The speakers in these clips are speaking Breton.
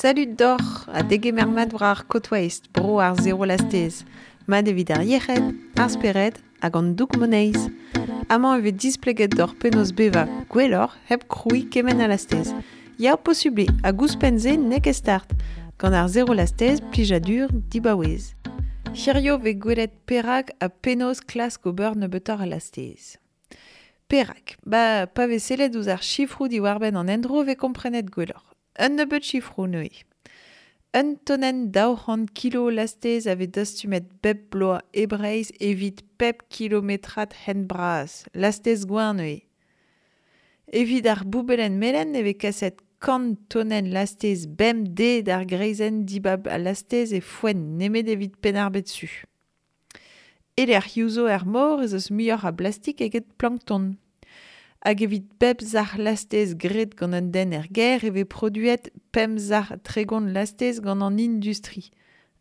Salut doc'h ha degemer mat war ar Côte Waste, bro ar zero lastez. Mat evit ar yec'hed, ar spered hag an doug moneiz. Amañ e vez displeget doc'h penaos bevañ gwelloc'h hep krouiñ kement a lastez. Ya posubl eo hag ouzhpenn-se n'eo ket start. Gant ar zero lastez, plijadur dibaouez. Hirio vez gwelet perak ha penaos klask ober nebeutoc'h a lastez. Perak Ba, pa vez sellet ouzh ar sifroù diwar-benn an endro vez komprenet gwelloc'h. Un nebeud sifroù neuze. Un tonenn 200 kilo lastez a vez dastumet bep bloaz e Breizh evit pep kilometrad hent bras. Lastez gweñv neuze. Evit ar boubellenn melen e vez kaset 100 tonenn lastez bemdez d'ar greizenn dibab al lastez e Foenn nemet evit Penn-ar-Bed Su. E-lec'hioù zo er mor ez eus muioc'h a blastik eget plankton. Hag evit pep sac'h lastez graet gant un den er gêr e vez produet 5 sac'h 30 lastez gant an industri.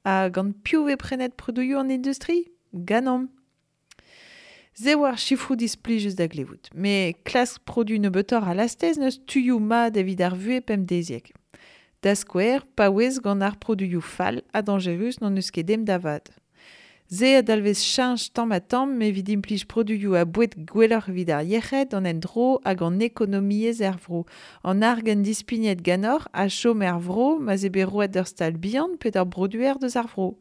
Ha gant piv vez prenet produioù an industri? Ganeomp. Se oa ar sifroù displijus da glevout. Met klask produ nebeutoc'h a lastez n'eus tuioù mat evit ar vuhez pemdeziek. Da skouer, paouez gant ar produioù fall ha dañjerus n'hon eus ket ezhomm da vat. Se a dalvez cheñch tamm-ha-tamm evit implij produioù ha boued gwelloc'h evit ar yec'hed, an endro hag an ekonomiezh er vro. An argant dispignet ganeoc'h a chom er vro ma'z eo bet roet d'ur stal bihan pe d'ur broduer deus ar vro.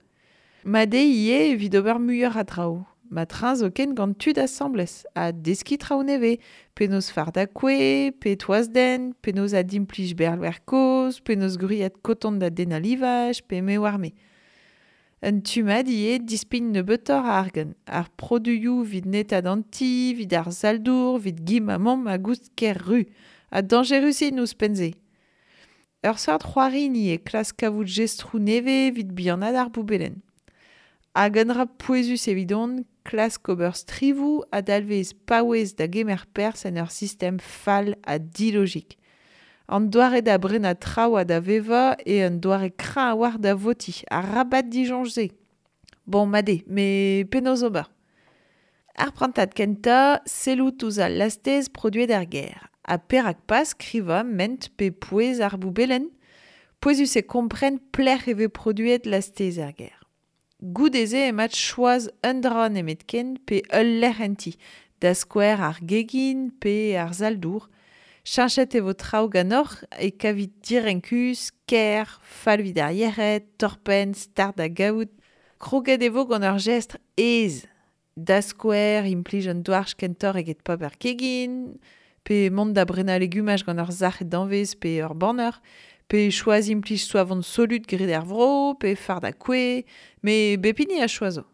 Mat eo ivez evit ober muioc'h a draoù. Ma trañ zoken gant tud asambles ha deskiñ traoù nevez, penaos fardañ kouez, pe toaz-dent, penaos adimplij berrloer kozh, penaos gwriat koton da dennañ livaj, pe me oar-me. Un tu mat ivez dispign nebeutoc'h a argant. Ar produioù evit netaat an ti, evit ar sal-dour, evit gim ha mamm a goust ker-ru. Ha dañjerus int ouzhpenn-se. Ur seurt c'hoari eo klask kavout jestroù nevez evit bihanaat ar boubellenn. Hag un dra pouezus evidon, klask ober strivoù a dalvez paouez da gemer perzh en ur sistem fall ha dilogik. An doare da brenañ traoù ha da vevañ eo un doare kreñv a-walc'h da votiñ, arabat disoñj-se. Bon, mat eo, met penaos ober? Ar prantad kentañ, sellout ouzh al lastez produet er gêr. Ha perak pas skrivañ ment pe pouez ar boubellenn? Pouezus eo kompren pelec'h e vez produet lastez er gêr. Goude-se emañ choaz un dra nemetken pe ul lec'h en ti, da skouer ar gegin pe ar sal-dour. Cheñchet e vo traoù ganeoc'h e kavit direnkus, ker, fall evit ar yec'hed, torr-penn, start da gavout. Kroget e vo gant ur jestr aes. Da skouer, implij un douarch kentoc'h eget paper kegin, pe mont da brenañ legumaj gant ur sac'h danvez pe ur banner, pe choaz implij soavon solut graet er vro, pe fardañ kouez, met bep hini a choazo.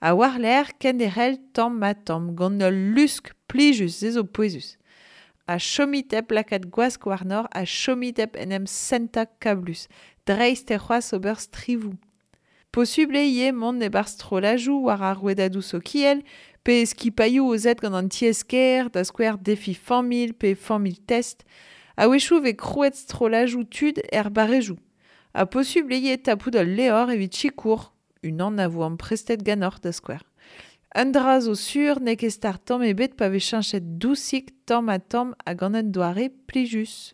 Ha war-lerc'h kenderc'hel tamm-ha-tamm gant ul lusk plijus, se zo pouezus. Ha chomit hep lakaat gwask warnoc'h ha chomit hep en em sentañ kablus. Dreist eo c'hoazh ober strivoù. Posubl eo ivez mont e-barzh strolladoù war ar rouedadoù sokial pe skipailhoù aozet gant an tiez-kêr, da skouer defi familh pe familh test. A-wechoù vez krouet strolladoù tud er barrezioù. Ha posubl eo ivez tapout ul levr evit sikour, unan a vo amprestet ganeoc'h da skouer. Un dra zo sur n'eo ket start tamm ebet pa vez cheñchet dousik tamm-ha-tamm ha gant un doare plijus.